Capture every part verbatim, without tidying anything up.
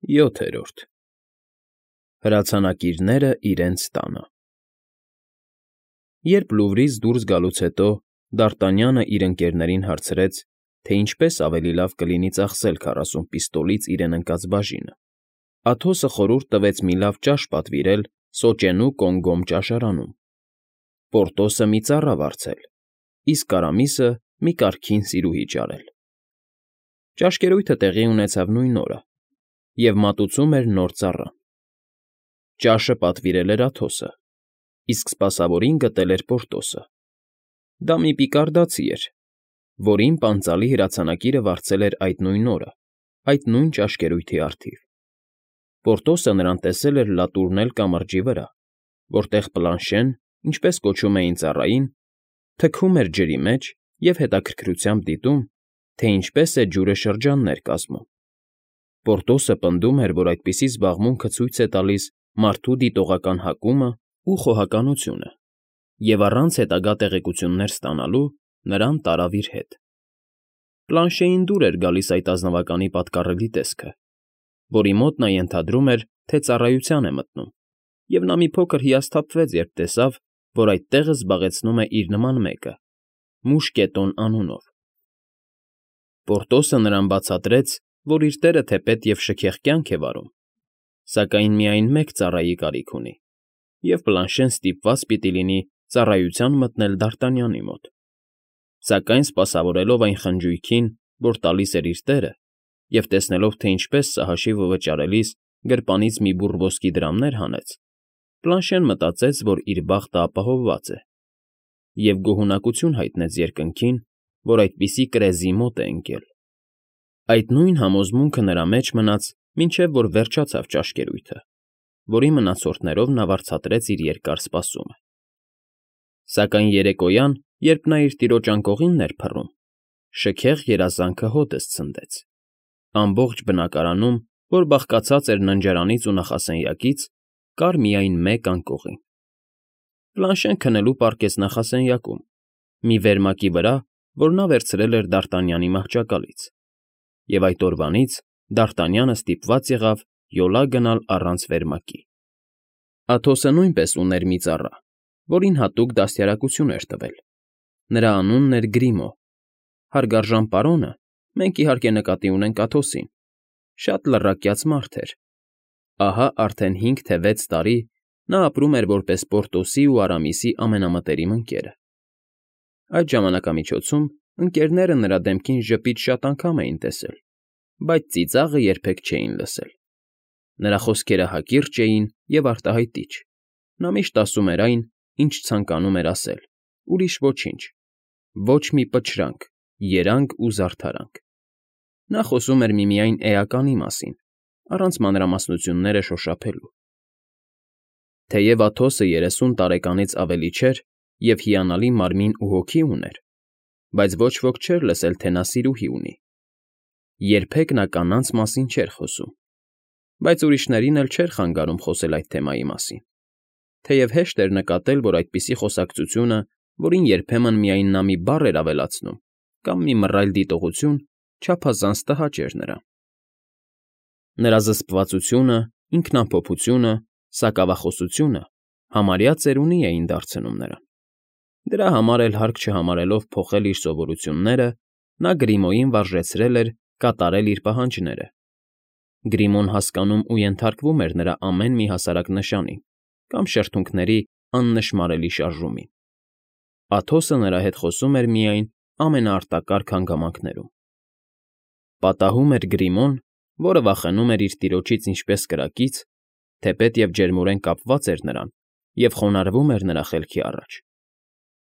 ՅՈԹԵՐՈՐԴ Հրացանակիրները իրենց տանը Երբ Լուվրից դուրս գալուց հետո դ'Արտանյանը իր ընկերներին հարցրեց, թե ինչպես ավելի լավ կլինի ծախսել քառասուն պիստոլից իրեն ընկած բաժինը, Աթոսը խորհուրդ տվեց մի լավ ճաշ պատվիրել սոճենու կոնգոմ ճաշարանում, Պորտոսը մի ծառա վարձել, իսկ Արամիսը մի կարգին սիրուհի ճարել։ Ճաշկերույթը տեղի ունեցավ նույն օրը, և մատուցում էր նոր ծառան։ Ճաշը պատվիրել էր Աթոսը, իսկ սպասավորին գտել էր Պորտոսը։ Դա մի պիկարդացի էր, որին պանծալի հրացանակիրը վարձել էր այդ նույն օրը, այդ նույն ճաշկերույթի առթիվ։ Պորտոսը նրան տեսել էր լատուրնել կամրջի վրա, որտեղ Պլանշեն, ինչպես կոչում էին ծառային, թքում էր ջրի մեջ և հետաքրքրությամբ դիտում, թե ինչպես է ջուրը շրջաններ կազմում։ Պորտոսը պնդում էր, որ այդպիսի զբաղմունքը ցույց է տալիս մարդու դիտողական հակումն ու խոհականությունը, և առանց հետագա տեղեկություններ ստանալու նրան տարավ իր հետ։ Պլանշեին դուր էր գալիս այդ ազնվականի պատկառելի տեսքը, որի մոտ նա ենթադրում էր, թե ծառայության է մտնում, և նա մի փոքր հիասթափվեց, երբ տեսավ, որ այդ տեղը զբաղեցնում է իր նման մեկը՝ Մուշկետոն անունով։ Պորտոսը նրան բացատրեց, որ իր տերը թեպետ և շքեղ կյանք է վարում, սակայն միայն մեկ ծառայի կարիք ունի, և Պլանշեն ստիպված պիտի լինի ծառայության մտնել Դ'Արտանյանի մոտ։ Սակայն սպասավորելով այն խնջույքին, որ տալիս էր իր տերը, և տեսնելով, թե ինչպես սա հաշիվը վճարելիս գրպանից մի բուռ ոսկի դրամներ հանեց, Պլանշեն մտածեց, որ իր բախտը ապահովված է, և գոհունակություն հայտնեց երկնքին, որ այդպիսի կրեզի մոտ է ընկել։ Այդ նույն համոզմունքը նրա մեջ մնաց, մինչև որ վերջացավ ճաշկերույթը, որի մնացորդներով նա վարձատրեց իր երկար սպասումը։ Սակայն երեկոյան, երբ նա իր տիրոջ անկողինն էր փռում, շքեղ երազանքը հօդս ցնդեց։ Ամբողջ բնակարանում, որ բաղկացած էր ննջարանից ու նախասենյակից, կար միայն մեկ անկողին։ Պլանշեն քնելու պառկեց նախասենյակում, մի վերմակի վրա, որ նա վերցրել էր Դ'Արտանյանի մահճակալից, և այդ օրվանից Դ'Արտանյանը ստիպված եղավ յոլա գնալ առանց վերմակի։ Աթոսը նույնպես ուներ մի ծառա, որին հատուկ դաստիարակություն էր տվել։ Նրա անունն էր Գրիմո։ Հարգարժան պարոնը, մենք, իհարկե, նկատի ունենք Աթոսին, շատ լռակյաց մարդ էր։ Ահա արդեն հինգ թե վեց տարի նա ապրում էր որպես Պորտոսի ու Արամիսի ամենամտերիմ ընկերը։ Այդ ժամանակամիջոցում ընկերները նրա դեմքին ժպիտ շատ անգամ էին տեսել, բայց ծիծաղը երբեք չէին լսել։ Նրա խոսքերը հակիրճ էին և արտահայտիչ։ Նա միշտ ասում էր այն, ինչ ցանկանում էր ասել, ուրիշ ոչինչ, ոչ մի պչրանք, երանգ ու զարդարանք։ Նա խոսում էր միմիայն էականի մասին, առանց մանրամասնությունները շոշափելու։ Թեև Աթոսը երեսուն տարեկանից ավելի չէր և հիանալի մարմին ու հոգի ուներ, բայց ոչ ոք չէր լսել, թե նա սիրուհի ունի։ Երբեք նա կանանց մասին չէր խոսում, բայց ուրիշներին էլ չէր խանգարում խոսել այդ թեմայի մասին, թեև հեշտ էր նկատել, որ այդպիսի խոսակցությունը, որին երբեմն միայն նա մի բառ էր ավելացնում կամ մի մռայլ դիտողություն, չափազանց տհաճ էր նրան։ Նրա զսպվածությունը, ինքնամփոփությունը, սակավախոսությունը համարյա ծերունի էին դարձնում նրան։ Դրա համար էլ հարկ չհամարելով փոխել իր սովորությունները, նա Գրիմոյին վարժեցրել էր կատարել իր պահանջները։ Գրիմոն հասկանում ու ենթարկվում էր նրա ամեն մի հասարակ նշանին կամ շրթունքների աննշմարելի շարժումին։ Աթոսը նրա հետ խոսում էր միայն ամենաարտակարգ հանգամանքներում։ Պատահում էր Գրիմոն, որը վախենում էր իր տիրոջից ինչպես կրակից, թեպետ և ջերմորեն կապված էր նրան և խոնարհվում էր նրա խելքի առաջ,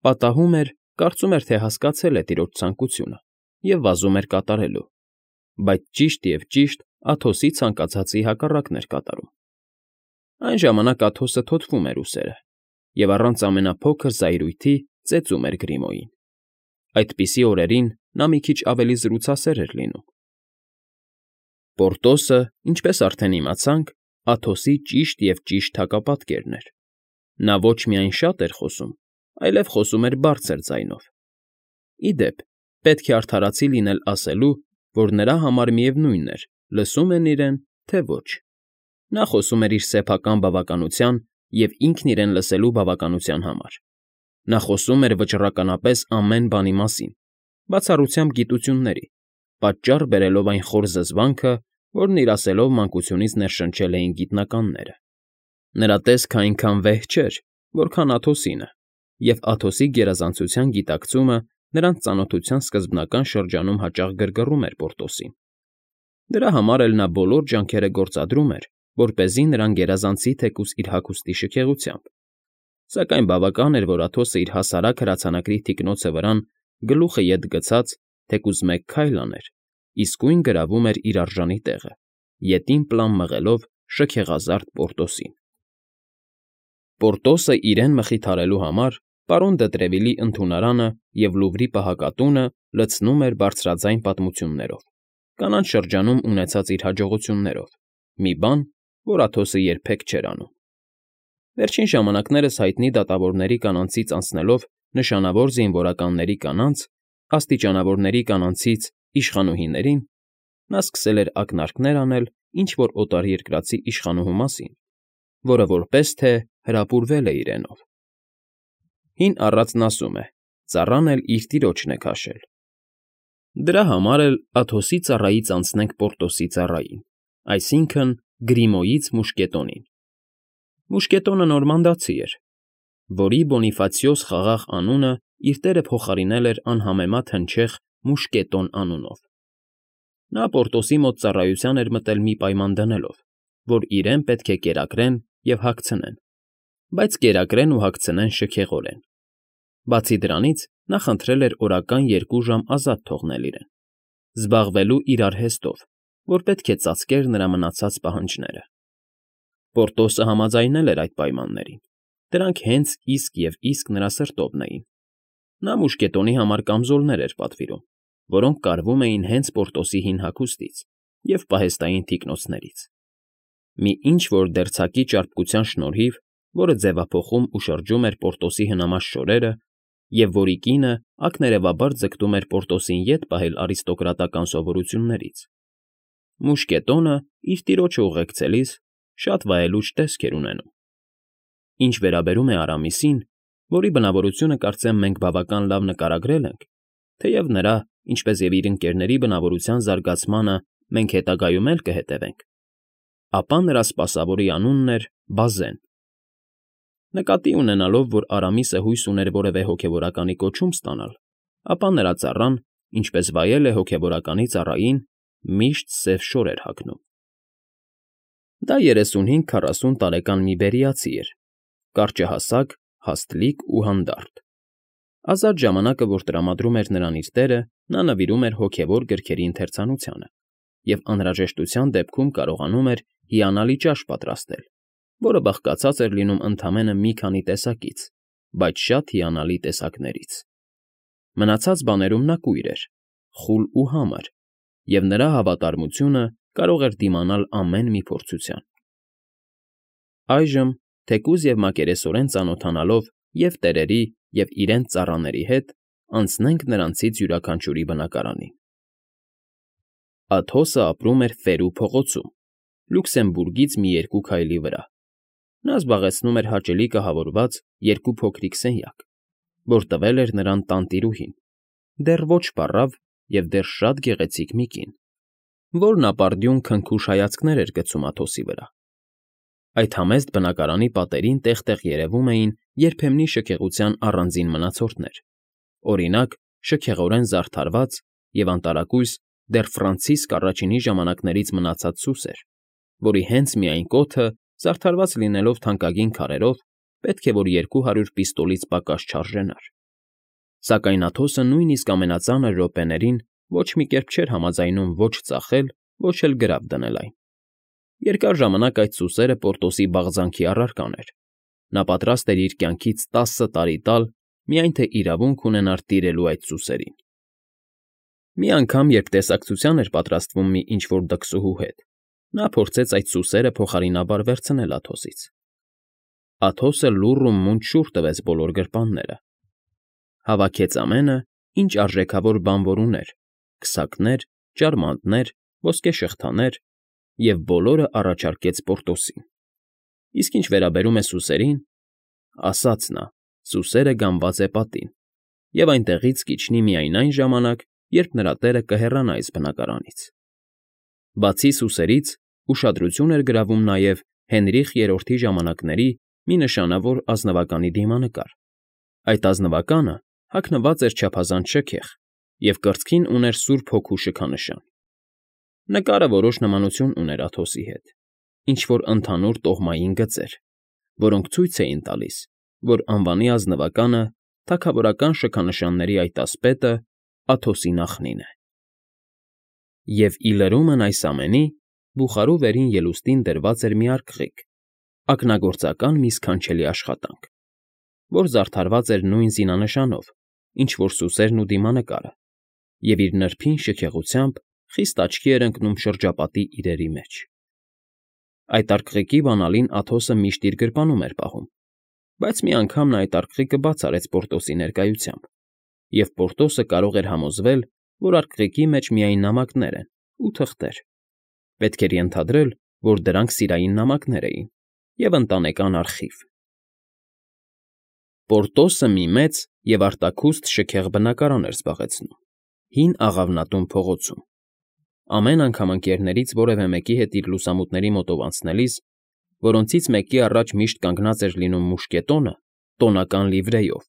պատահում էր, կարծում էր, թե հասկացել է տիրոջ ցանկությունը և վազում էր կատարելու, բայց ճիշտ և ճիշտ Աթոսի ցանկացածի հակառակն էր կատարում։ Այն ժամանակ Աթոսը թոթվում էր ուսերը և առանց ամենափոքր զայրույթի ծեծում էր Գրիմոյին։ Այդպիսի օրերին նա մի քիչ ավելի զրուցասեր էր լինում։ Պորտոսը, ինչպես արդեն իմացանք, Աթոսի ճիշտ և ճիշտ հակապատկերն էր։ Նա ոչ միայն շատ էր խոսում, այլև խոսում էր բարձր ձայնով։ Ի դեպ, պետք է արդարացի լինել ասելու, որ նրա համար միևնույն էր՝ լսում են իրեն, թե ոչ։ Նա խոսում էր իր սեփական բավականության և ինքն իրեն լսելու բավականության համար։ Նա խոսում էր վճռականապես ամեն բանի մասին, բացառությամբ գիտությունների, պատճառ բերելով այն խոր զզվանքը, որն իր ասելով մանկությունից ներշնչել էին գիտնականները։ Նրա տեսքը այնքան վեհ չէր, որքան Աթոսինը, և Աթոսի գերազանցության գիտակցումը նրանց ծանոթության սկզբնական շրջանում հաճախ գրգռում էր Պորտոսին։ Դրա համար էլ նա բոլոր ջանքերը գործադրում էր, որպեսզի նրան գերազանցի թեկուզ իր հագուստի շքեղությամբ, սակայն բավական էր, որ Աթոսը իր հասարակ հրացանակրի թիկնոցը վրան գլուխը ետ գցած, թեկուզ մեկ քայլ աներ, իսկույն գրավում էր իր արժանի տեղը, ետին պլան մղելով շքեղազարդ Պորտոսին։ Պորտոսը իրեն մխիթարելու համար պարոն դը Տրևիլի ընդունարանը և Լուվրի պահակատունը լցնում էր բարձրաձայն պատմություններով, կանանց շրջանում ունեցած իր հաջողություններով, մի բան, որ Աթոսը երբեք չէր անում։ Վերջին ժամանակներս հայտնի դատավորների կանանցից անցնելով նշանավոր զինվորականների կանանց, աստիճանավորների կանանցից իշխանուհիներին, նա սկսել էր ակնարկներ անել ինչ֊որ օտարերկրացի իշխանուհու մասին, որը որպես թե հրապուրվել է իրենով։ Հին առածն ասում է. ծառան էլ իր տիրոջն է քաշել։ Դրա համար էլ Աթոսի ծառայից անցնենք Պորտոսի ծառային, այսինքն Գրիմոյից մուշկետոնին։ Մուշկետոնը նորմանդացի էր, որի Բոնիֆացիոս խաղաղ անունը իր տերը փոխարինել էր անհամեմատ հնչեղ Մուշկետոն անունով։ Նա Պորտոսի մոտ ծառայության էր մտել մի պայման դնելով, որ իրեն պետք է կերակրեն և հագցնեն, բայց կերակրեն ու հագցնեն շքեղորեն։ Բացի դրանից, նա խնդրել էր օրական երկու ժամ ազատ թողնել իրեն, զբաղվելու իր արհեստով, որ պետք է ծածկեր նրա մնացած պահանջները։ Պորտոսը համաձայնել էր այդ պայմաններին, դրանք հենց իսկ և իսկ նրա սրտովն էին։ Նա մուշկետոնի համար կամզոլներ էր պատվիրում, որոնք կարվում էին հենց Պորտոսի հին հագուստից և պահեստային թիկնոցներից։ Մի ինչ֊որ դերձակի ճարպկության շնորհիվ, որը ձևափոխում ու շրջում էր Պորտոսի հնամաշ շորերը, և որի կինը ակներևաբար ձգտում էր Պորտոսին ետ պահել արիստոկրատական սովորույթներից, մուշկետոնը իր տիրոջը ուղեկցելիս շատ վայելուչ տեսք էր ունենում։ Ինչ վերաբերում է Արամիսին, որի բնավորությունը կարծեմ մենք բավական լավ նկարագրել ենք, թեև նրա, ինչպես և իր ընկերների բնավորության զարգացմանը մենք հետագայում էլ կհետևենք, ապա նրա սպասավորի անունն էր Բազեն։ Նկատի ունենալով, որ Արամիսը հույս ուներ որևէ հոգևորականի կոչում ստանալ, ապա նրա ծառան, ինչպես վայել է հոգևորականի ծառային, միշտ սև շոր էր հագնում։ Դա երեսունհինգ֊քառասուն տարեկան մի բերիացի էր, կարճահասակ, հաստլիկ ու հանդարտ։ Ազատ ժամանակը, որ տրամադրում էր նրան իր տերը, նա նվիրում էր հոգևոր գրքերի ընթերցանությանը և անհրաժեշտության դեպքում կարողանում էր հիանալի ճաշ պատրաստել, որը բաղկացած էր լինում ընդամենը մի քանի տեսակից, բայց շատ հիանալի տեսակներից։ Մնացած բաներում նա կույր էր, խուլ ու համր, և նրա հավատարմությունը կարող էր դիմանալ ամեն մի փորձության։ Այժմ, թեկուզ և մակերեսորեն ծանոթանալով և՛ տերերի, և՛ իրենց ծառաների հետ, անցնենք նրանցից յուրաքանչյուրի բնակարանին։ Աթոսը ապրում էր Ֆերու փողոցում, Լյուքսեմբուրգից մի երկու քայլի վրա։ Նա զբաղեցնում էր հաճելի կահավորված երկու փոքրիկ սենյակ, որ տվել էր նրան տանտիրուհին, դեռ ոչ պառավ և դեռ շատ գեղեցիկ մի կին, որն ապարդյուն քնքուշ հայացքներ էր գցում Աթոսի վրա։ Այդ համեստ բնակարանի պատերին տեղ֊տեղ երևում էին երբեմնի շքեղության առանձին մնացորդներ, օրինակ, շքեղորեն զարդարված և անտարակույս դեռ Ֆրանցիսկ առաջինի ժամանակներից մնացած սուսեր, որի հենց միայն կոթը, զարդարված լինելով թանկագին քարերով, պետք է որ երկու հարյուր պիստոլից պակաս չարժենար։ Սակայն Աթոսը նույնիսկ ամենածանր րոպեներին ոչ մի կերպ չէր համաձայնում ոչ ծախել, ոչ էլ գրավ դնել այն։ Երկար ժամանակ այդ սուսերը Պորտոսի բաղձանքի առարկան էր։ Նա պատրաստ էր իր կյանքից տասը տարի տալ, միայն թե իրավունք ունենար տիրելու այդ սուսերին։ Մի անգամ, երբ տեսակցության էր պատրաստվում մի ինչ֊որ դքսուհու հետ, նա փորձեց այդ սուսերը փոխարինաբար վերցնել Աթոսից։ Աթոսը լուռ ու մունջ շուռ տվեց բոլոր գրպանները, հավաքեց ամենը, ինչ արժեքավոր բան որ ուներ՝ քսակներ, ճարմանտներ, ոսկե շղթաներ և բոլորը առաջարկեց Պորտոսին։ Իսկ ինչ վերաբերում է սուսերին, ասաց նա, սուսերը գանված է պատին, և այնտեղից կիջնի միայն այն ժամանակ, երբ նրա տերը կհեռանա այս բնակարանից։ Բացի սուսերից, ուշադրություն էր գրավում նաև Հենրիխ Երրորդի ժամանակների մի նշանավոր ազնվականի դիմանկար։ Այդ ազնվականը հագնված էր չափազանց շքեղ և կրծքին ուներ Սուրբ Հոգու շքանշան։ Նկարը որոշ նմանություն ուներ Աթոսի հետ, ինչ֊որ ընդհանուր տոհմային գծեր, որոնք ցույց էին տալիս, որ անվանի ազնվականը, թագավորական շքանշանների այդ ասպետը Աթոսի նախնին է։ Եվ ի լրումն այս ամենի, բուխարու վերին ելուստին դրված էր մի արկղիկ, ակնագործական մի սքանչելի աշխատանք, որ զարդարված էր նույն զինանշանով, ինչ որ սուսերն ու դիմանկարը, և իր նրբին շքեղությամբ խիստ աչքի էր ընկնում շրջապատի իրերի մեջ։ Այդ արկղիկի բանալին Աթոսը միշտ իր գրպանում էր պահում, բայց մի անգամ նա այդ արկղիկը բաց արեց Պորտոսի ներկայությամբ, և Պորտոսը կարող էր համոզվել, որ արկղիկի մեջ միայն նամակներ են ու թղթեր։ Պետք էր ենթադրել, որ դրանք սիրային նամակներ էին և ընտանեկան արխիվ։ Պորտոսը մի մեծ և արտաքուստ շքեղ բնակարան էր զբաղեցնում հին Աղավնատուն փողոցում։ Ամեն անգամ ընկերներից որևէ մեկի հետ իր լուսամուտների մոտով անցնելիս, որոնցից մեկի առաջ միշտ կանգնած էր լինում մուշկետոնը տոնական լիվրեյով,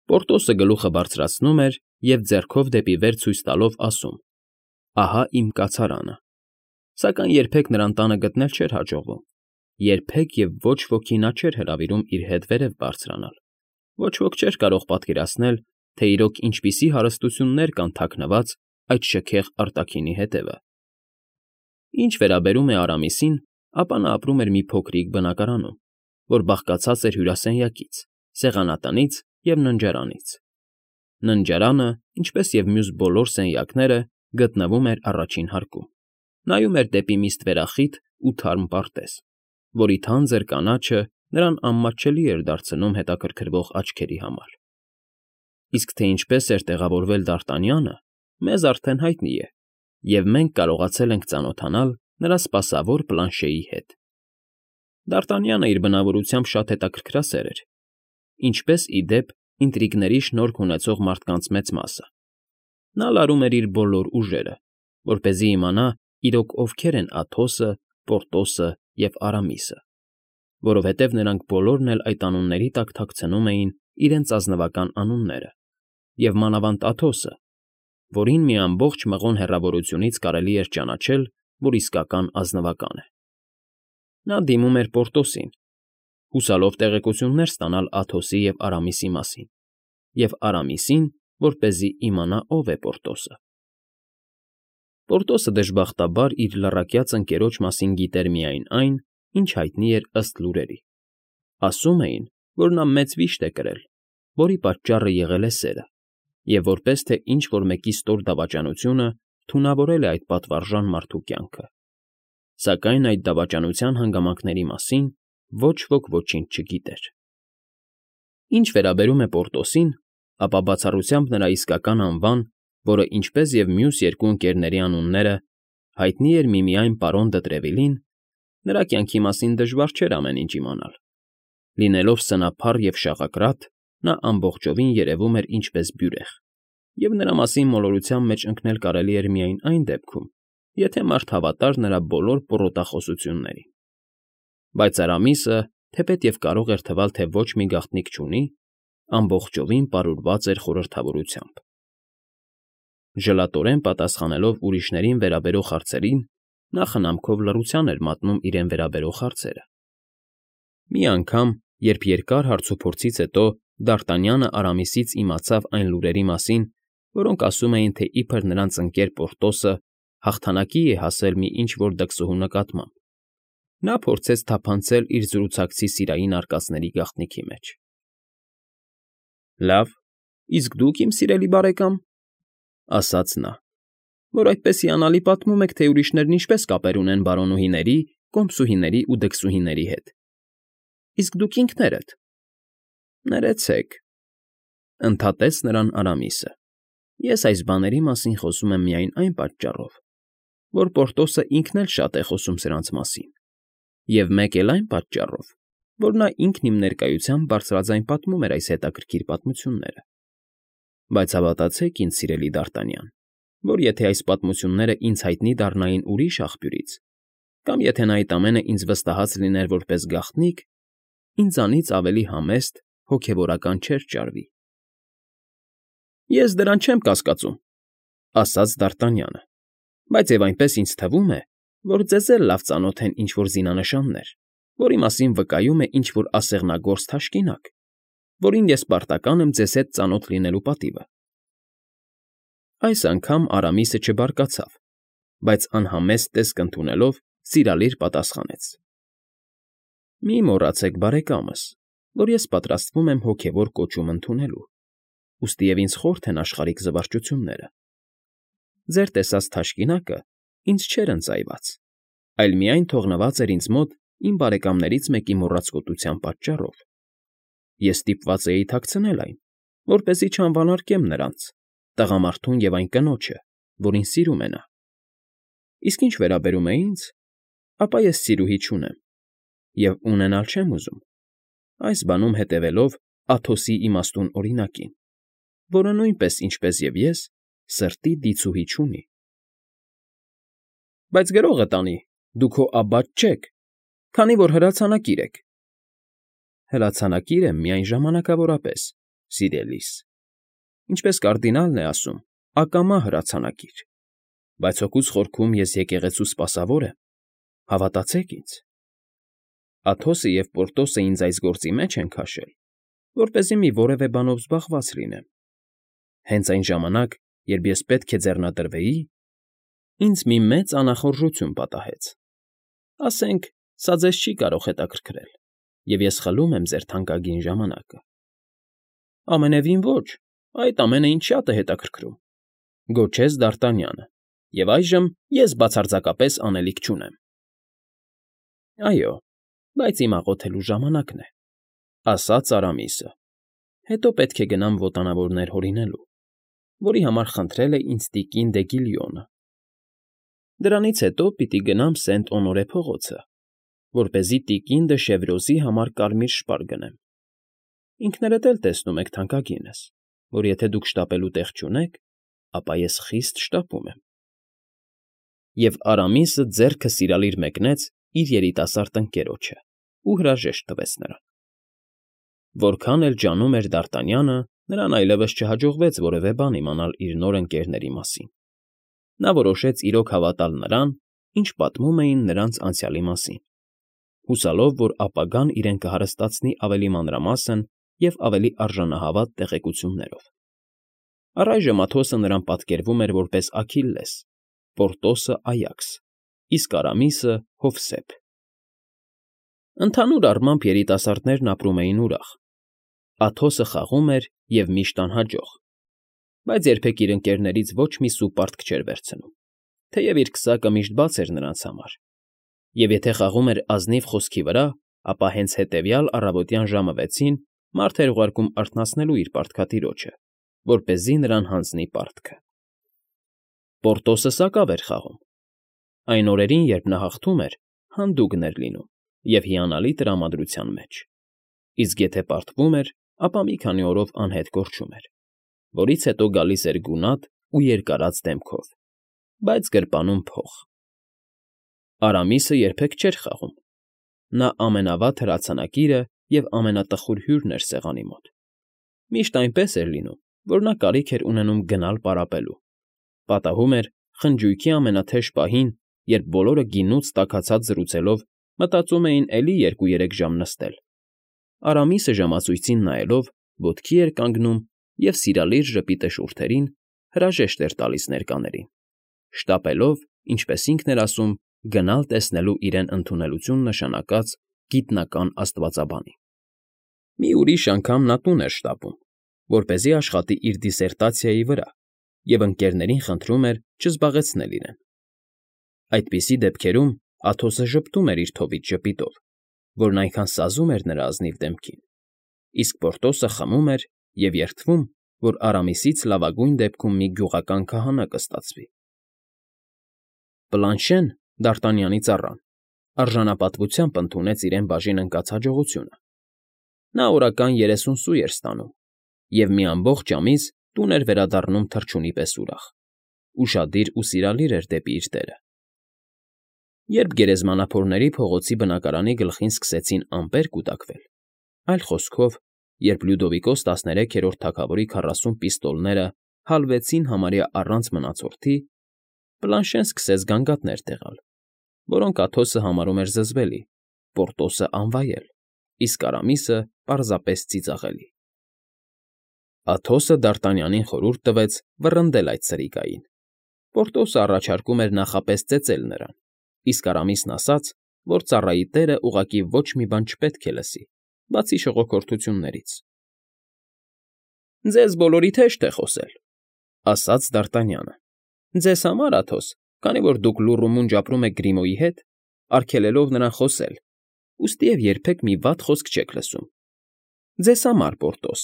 Պորտոսը գլուխը բարձրացնում էր և ձեռքով դեպի վեր ցույց տալով ասում. «Ահա իմ կացարանը», սակայն երբեք նրան տանը գտնել չէր հաջողվում, երբեք և ոչ ոքի նա չէր հրավիրում իր հետ վերև բարձրանալ, ոչ ոք չէր կարող պատկերացնել, թե իրոք ինչպիսի հարստություններ կան թաքնված այդ շքեղ արտաքինի հետևը։ Ինչ վերաբերում է Արամիսին, ապա նա ապրում էր մի փոքրիկ բնակարանում, որ բաղկացած էր հյուրասենյակից, սեղանատնից և ննջարանից։ Ննջարանը, ինչպես և մյուս բոլոր սենյակները, գտնվում էր առաջին հարկում, նայում էր դեպի մի ստվերախիտ ու թարմ պարտեզ, որի թանձր կանաչը նրան անմատչելի էր դարձնում հետաքրքրվող աչքերի համար։ Իսկ թե ինչպես էր տեղավորվել Դարտանյանը, մեզ արդեն հայտնի է, և մենք կարողացել ենք ծանոթանալ նրա սպասավոր Պլանշեի հետ։ Դարտանյանը իր բնավորությամբ շատ հետաքրքրասեր էր, ինչպես, ի դեպ, ինտրիգների շնորք ունեցող մարդկանց մեծ մասը։ Նա լարում էր իր բոլոր ուժերը, որպեսզի իմանա իրոք ովքեր են Աթոսը, Պորտոսը և Արամիսը, որովհետև նրանք բոլորն էլ այդ անունների տակ թաքցնում էին իրենց ազնվական անունները, և մանավանդ Աթոսը, որին մի ամբողջ մղոն հեռավորությունից կարելի էր ճանաչել, որ իսկական ազնվական է։ Նա դիմում էր Պորտոսին, հուսալով տեղեկություններ ստանալ Աթոսի և Արամիսի մասին, և Արամիսին, որպեսզի իմանա ով է Պորտոսը։ Պորտոսը դժբախտաբար իր լռակյաց ընկերոջ մասին գիտեր միայն այն, ինչ հայտնի էր ըստ լուրերի։ Ասում էին, որ նա մեծ վիշտ է կրել, որի պատճառը եղել է սերը, և որպես թե ինչ֊որ մեկի ստոր դավաճանությունը թունավորել է այդ պատվարժան մարդու կյանքը։ Սակայն այդ դավաճանության հանգամանքների մասին ոչ ոք ոչինչ չգիտեր։ Ինչ վերաբերում է Պորտոսին, ապա բացառությամբ նրա իսկական անվան, որը, ինչպես և մյուս երկու ընկերների անունները, հայտնի էր միմիայն պարոն Դտրևիլին, նրա կյանքի մասին դժվար չէր ամեն ինչ իմանալ։ Լինելով սնափառ և շաղակրատ, նա ամբողջովին երևում էր ինչպես բյուրեղ, և նրա մասին մոլորության մեջ ընկնել կարելի էր միայն այն դեպքում, եթե մարդ հավատար նրա բոլոր պոռոտախոսություններին։ Բայց Արամիսը, թեպետև կարող էր թվալ, թե ոչ մի գաղտնիք չունի, ամբողջովին պարուրված էր խորհրդավորությամբ։ Ժլատորեն պատասխանելով ուրիշներին վերաբերող հարցերին, նա խնամքով լռության էր մատնում իրեն վերաբերող հարցերը։ Մի անգամ, երբ երկար հարցուփորձից հետո Դարտանյանը Արամիսից իմացավ այն լուրերի մասին, որոնք ասում էին, թե իբր նրանց ընկեր Պորտոսը հաղթանակի է հասել մի ինչ֊որ դքսուհու նկատմամբ, նա փորձեց թափանցել իր զրուցակցի սիրային արկածների գաղտնիքի մեջ։ ֊ Լավ, իսկ դուք, իմ սիրելի բարեկամ, ֊ ասաց նա, որ այդպես հիանալի պատմում եք, թե ուրիշներն ինչպես կապեր ունեն բարոնուհիների, կոմսուհիների ու դքսուհիների հետ, իսկ դուք ինքներդ։ ֊ Ներեցեք, ֊ ընդհատեց նրան Արամիսը, ֊ ես այս բաների մասին խոսում եմ միայն այն պատճառով, որ Պորտոսը ինքն էլ շատ է խոսում սրանց մասին, և մեկ էլ այն պատճառով, որ նա ինքն իմ ներկայությամբ բարձրաձայն պատմում էր այս հետաքրքիր պատմությունները։ Բայց հավատացեք ինձ, սիրելի Դարտանյան, որ եթե այս պատմությունները ինձ հայտնի դառնային ուրիշ աղբյուրից, կամ եթե նա այդ ամենը ինձ վստահած լիներ որպես գաղտնիք, ինձանից ավելի համեստ հոգևորական չէր ճարվի։ ֊ Ես դրան չեմ կասկածում,֊ ասաց Դարտանյանը,֊ բայց և այնպես ինձ թվում է, որ ձեզ էլ լավ ծանոթ են ինչ֊որ զինանշաններ, որի մասին վկայում է ինչ֊որ ասեղնագործ թաշկինակ, որին ես պարտական եմ ձեզ հետ ծանոթ լինելու պատիվը։ Այս անգամ Արամիսը չբարկացավ, բայց անհամեստ տեսք ընդունելով սիրալիր պատասխանեց. «Մի մոռացեք, բարեկամս, որ ես պատրաստվում եմ հոգևոր կոչում ընդունելու, ուստի և ինձ խորթ են աշխարհիկ զվարճությունները։ Ձեր տեսած թաշկինակը ինձ չէր ընծայված, այլ միայն թողնված էր ինձ մոտ իմ բարեկամներից մեկի մոռացկոտության պատճառով։ Ես ստիպված էի թաքցնել այն, որպեսզի չանվանարկեմ նրանց, տղամարդուն և այն կնոջը, որին սիրում է նա։ Իսկ ինչ վերաբերում է ինձ, ապա ես սիրուհի չունեմ և ունենալ չեմ ուզում, այս բանում հետևելով Աթոսի իմաստուն օրինակին, որը նույնպես, ինչպես և ես, սրտի դիցուհի չունի»։ ֊ Բայց գրողը տանի, դու քո աբբատ չեք, քանի որ հրացանակիր եք։ ֊ Հրացանակիր եմ միայն ժամանակավորապես, սիրելիս, ինչպես կարդինալն է ասում, ակամա հրացանակիր, բայց հոգուս խորքում ես եկեղեցու սպասավոր եմ, հավատացեք ինձ։ Աթոսը և Պորտոսը ինձ այս գործի մեջ են քաշել, որպեսզի մի որևէ բանով զբաղված լինեմ։ Հենց այն ժամանակ, երբ ես պետք է ձեռնադրվեի, ինձ մի մեծ անախորժություն պատահեց։ Ասենք, սա ձեզ չի կարող հետաքրքրել, և ես խլում եմ ձեր թանկագին ժամանակը։ ֊ Ամենևին ոչ, այդ ամենը ինձ շատ է հետաքրքրում,֊ գոչեց Դարտանյանը,֊ և այժմ ես բացարձակապես անելիք չունեմ։ ֊ Այո, բայց իմ աղոթելու ժամանակն է,֊ ասաց Արամիսը,֊ հետո պետք է գնամ ոտանավորներ հորինելու, որի համար խնդրել է ինձ տիկին դե Գիլյոնը։ Դրանից հետո պիտի գնամ Սենտ֊Օնորե փողոցը, որպեսզի տիկին դը Շևրոզի համար կարմիր շպար գնեմ։ Ինքներդ էլ տեսնում եք, թանկագինս, որ եթե դուք շտապելու տեղ չունեք, ապա ես խիստ շտապում եմ։ Եվ Արամիսը ձեռքը սիրալիր մեկնեց իր երիտասարդ ընկերոջը ու հրաժեշտ տվեց նրան։ Որքան էլ ջանում էր Դարտանյանը, նրան այլևս չհաջողվեց որևէ բան իմանալ իր նոր ընկերների մասին։ Նա որոշեց իրոք հավատալ նրան, ինչ պատմում էին նրանց անցյալի մասին, հուսալով, որ ապագան իրեն կհարստացնի ավելի մանրամասն և ավելի արժանահավատ տեղեկություններով։ Առայժմ Աթոսը նրան պատկերվում էր որպես Աքիլլես, Պորտոսը՝ Այաքս, իսկ Արամիսը՝ Հովսեփ։ Ընդհանուր առմամբ երիտասարդներն ապրում էին ուրախ։ Աթոսը խաղում էր և միշտ անհաջող, բայց երբեք իր ընկերներից ոչ մի սու պարտք չէր վերցնում, թեև իր քսակը միշտ բաց էր նրանց համար, և եթե խաղում էր ազնիվ խոսքի վրա, ապա հենց հետևյալ առավոտյան ժամը վեցին մարդ էր ուղարկում արթնացնելու իր պարտքատիրոջը, որպեսզի նրան հանձնի պարտքը։ Պորտոսը սակավ էր խաղում։ Այն օրերին, երբ նա հաղթում էր, հանդուգն էր լինում և հիանալի տրամադրության մեջ, իսկ եթե պարտվում էր, ապա մի քանի օրով անհետ կորչում էր, որից հետո գալիս էր գունատ ու երկարած դեմքով, բայց գրպանում փող։ Արամիսը երբեք չէր խաղում։ Նա ամենավատ հրացանակիրը և ամենատխուր հյուրն էր սեղանի մոտ։ Միշտ այնպես էր լինում, որ նա կարիք էր ունենում գնալ պարապելու։ Պատահում էր խնջույքի ամենաթեժ պահին, երբ բոլորը գինուց տաքացած զրուցելով մտածում էին էլի երկու֊երեք ժամ նստել, Արամիսը ժամացույցին նայելով ոտքի էր կանգնում և սիրալիր ժպիտը շուրթերին հրաժեշտ էր տալիս ներկաներին, շտապելով, ինչպես ինքն էր ասում, գնալ տեսնելու իրեն ընդունելություն նշանակած գիտնական աստվածաբանին։ Մի ուրիշ անգամ նա տուն էր շտապում, որպեսզի աշխատի իր դիսերտացիայի վրա և ընկերներին խնդրում էր չզբաղեցնել իրեն։ Այդպիսի դեպքերում Աթոսը ժպտում էր իր թովիչ ժպիտով, որն այնքան սազում էր նրա ազնիվ դեմքին, իսկ Պորտոսը խմում էր և երդվում, որ Արամիսից լավագույն դեպքում մի գյուղական քահանա կստացվի։ Պլանշեն, Դարտանյանի ծառան, արժանապատվությամբ ընդունեց իրեն բաժին ընկած հաջողությունը. նա օրական երեսուն սու էր ստանում և մի ամբողջ ամիս տուն էր վերադառնում թռչունի պես ուրախ, ուշադիր ու սիրալիր էր դեպի իր տերը։ Երբ գերեզմանափորների փողոցի բնակարանի գլխին սկսեցին ամպեր կուտակվել, այլ խոսքով, երբ Լյուդովիկոս տասներեքերորդ թագավորի քառասուն պիստոլները հալվեցին համարյա առանց մնացորդի, Պլանշեն սկսեց գանգատներ տեղալ, որոնք Աթոսը համարում էր զզվելի, Պորտոսը՝ անվայել, իսկ Արամիսը պարզապես ծիծաղելի։ Աթոսը Դարտանյանին խորհուրդ տվեց վռնդել այդ սրիկային. Պորտոսը առաջարկում էր նախապես ծեծել նրան, իսկ Արամիսն ասաց, որ ծառայի տերը ուղղակի ոչ մի բան չպետք է լսի, բացի շողոքորթություններից։ ֊ Ձեզ բոլորիդ հեշտ է խոսել,֊ ասաց Դարտանյանը,֊ ձեզ համար, Աթոս, քանի որ դուք լուռ ու մունջ ապրում եք Գրիմոյի հետ, արգելելով նրան խոսել, ուստիև երբեք մի վատ խոսք չեք լսում. ձեզ համար, Պորտոս,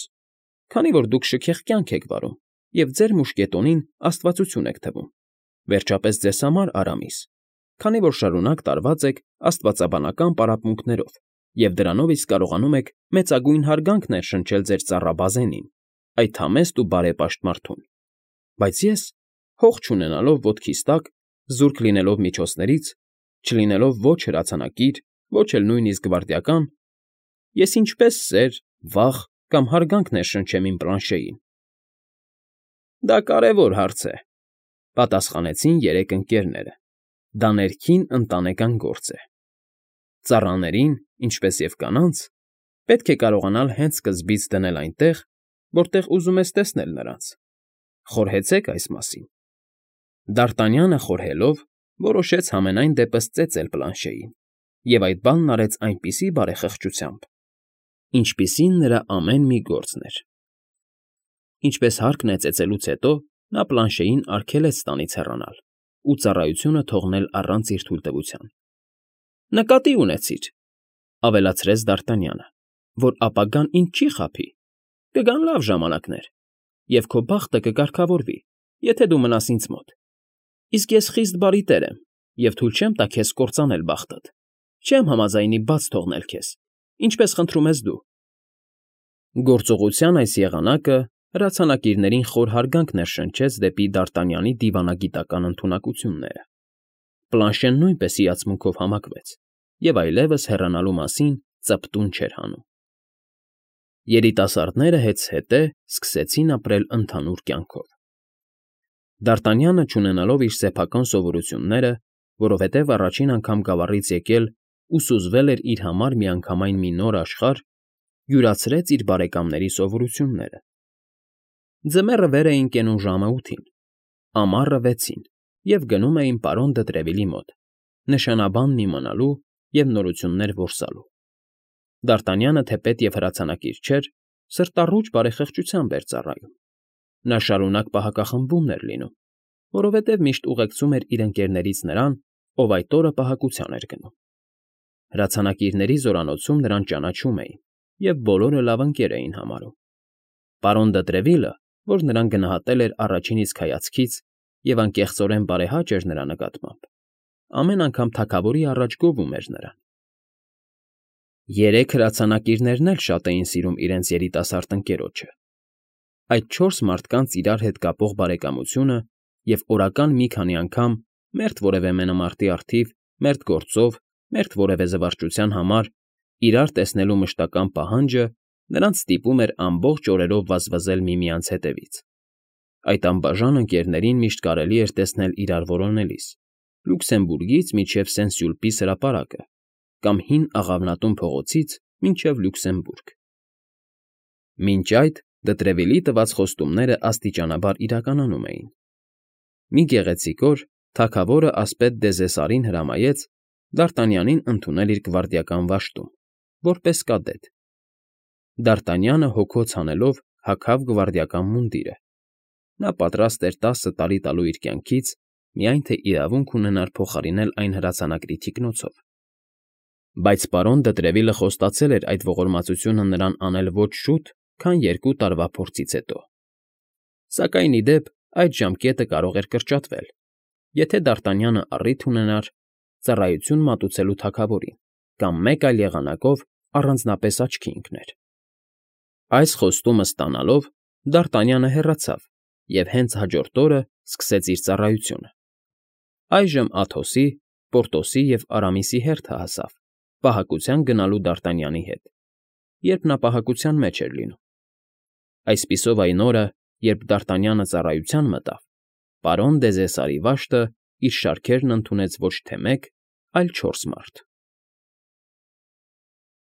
քանի որ դուք շքեղ կյանք եք վարում և ձեր մուշկետոնին աստվածություն եք թվում, վերջապես ձեզ համար, Արամիս, քանի որ շարունակ տարված եք աստվածաբանական պարապմունքներով և դրանով իսկ կարողանում եք մեծագույն հարգանք ներշնչել ձեր ծառա Բազենին, այդ համեստ ու բարեպաշտ մարդուն, բայց ես, հող չունենալով ոտքիս տակ, զուրկ լինելով միջոցներից, չլինելով ոչ հրացանակիր, ոչ էլ նույնիսկ գվարդիական, ես ինչպե՞ս սեր, վախ կամ հարգանք ներշնչեմ իմ Պլանշեին։ ֊ Դա կարևոր հարց է,֊ պատասխանեցին երեք ընկերները,֊ դա ներքին ընտանեկան գործ է։ Ծառաներին, ինչպես և կանանց, պետք է կարողանալ հենց սկզբից դնել այնտեղ, որտեղ ուզում ես տեսնել նրանց։ Խորհեցե՞ք այս մասին։ Դարտանյանը խորհելով որոշեց համենայն դեպս ծեծել Պլանշեին և այդ բանն արեց այնպիսի բարեխղճությամբ, ինչպիսին նրա ամեն մի գործն էր։ Ինչպես հարկն է ծեծելուց հետո նա Պլանշեին արգելեց տանից հեռանալ ու ծառայությունը թողնել առանց իր թույլտվության։ ֊ Նկատի ունեցիր,֊ ավելացրեց Դարտանյանը,֊ որ ապագան ինձ չի խաբի, կգան լավ ժամանակներ, և քո բախտը կկարգավորվի, եթե դու մնաս ինձ մոտ, իսկ ես խիստ բարի տեր եմ և թույլ չեմ տա քեզ կործանել բախտդ, չեմ համաձայնի բաց թողնել քեզ, ինչպես խնդրում ես դու։ Գործողության այս եղանակը հրացանակիրներին խոր հարգանք ներշնչեց դեպի Դարտանյանի դիվանագիտական ընդունակությունները։ Պլանշեն նույնպես հիացմունքով համակվեց և այլևս հեռանալու մասին ծպտուն չէր հանում։ Երիտասարդները հետզհետե սկսեցին ապրել ընդհանուր կյանքով։ Դարտանյանը, չունենալով իր սեփական սովորությունները, որովհետև առաջին անգամ գավառից եկել ու սուզվել էր իր համար միանգամայն մի նոր աշխարհ, յուրացրեց իր բարեկամների սովորությունները։ Ձմեռը վեր էին կենում ժամը ութին, ամառը վեցին և գնում էին պարոն դը Տրևիլի մոտ, նշանաբանն իմանալու և նորություններ որսալու։ Դարտանյանը, թեպետ և հրացանակիր չէր, սրտառուչ բարեխղճությամբ էր ծառայում։ Նա շարունակ պահակախմբում էր լինում, որովհետև միշտ ուղեկցում էր իր ընկերներից նրան, ով այդ օրը պահակության էր գնում։ Հրացանակիրների զորանոցում նրան ճանաչում էին և բոլորը լավ ընկեր էին համարում։ Պարոն դը Տրևիլը, որ նրան գնահատել էր առաջին իսկ հայացքից և անկեղծորեն բարեհաճ էր նրա նկատմամբ, ամեն անգամ թագավորի առաջ գովում էր նրան։ Երեք հրացանակիրներն էլ շատ էին սիրում իրենց երիտասարդ ընկերոջը։ Այդ չորս մարդկանց իրար հետ կապող բարեկամությունը և օրական մի քանի անգամ, մերթ որևէ մենամարտի առթիվ, մերթ գործով, մերթ որևէ զվարճության համար իրար տեսնելու մշտական պահանջը նրանց ստիպում էր ամբողջ օրերով վազվզել միմյանց հետևից։ Այդ անբաժան ընկերներին միշտ կարելի էր տեսնել իրար որոնելիս, Լյուքսեմբուրգից մինչև Սեն֊Սյուլպիս հրապարակը կամ Հին Աղավնատուն փողոցից մինչև Լյուքսեմբուրգ։ Մինչ այդ Դը Տրևիլի տված խոստումները աստիճանաբար իրականանում էին։ Մի գեղեցիկ օր թագավորը ասպետ Դեզեսարին հրամայեց Դարտանյանին ընդունել իր գվարդիական վաշտում, որպես կադետ։ Դարտանյանը հոգոց հանելով հագավ գվարդիական մունդիրը։ Նա պատրաստ էր տասը տարի տալու իր կյանքից, միայն թե իրավունք ունենար փոխարինել այն հրացանակրի թիկնոցով։ Բայց պարոն դը Տրևիլը խոստացել էր այդ ողորմածությունը նրան անել ոչ շուտ, քան երկու տարվա փորձից հետո։ Սակայն, ի դեպ, այդ ժամկետը կարող էր կրճատվել, Եթե Դարտանյանը առիթ ունենար ծառայություն մատուցելու թագավորին կամ մեկ այլ եղանակով առանձնապես աչքի ընկներ։ Այս խոստումը ստանալով՝ Դարտանյանը հեռացավ և հենց հաջորդ օրը սկսեց իր ծառայությունը։ Այժմ Աթոսի, Պորտոսի և Արամիսի հերթը հասավ պահակության գնալու Դարտանյանի հետ, երբ նա պահակության մեջ էր լինում։ Այսպիսով այն օրը, երբ Դարտանյանը ծառայության մտավ, պարոն Դեզեսարի վաշտը իր շարքերն ընդունեց ոչ թե մեկ, այլ չորս մարդ։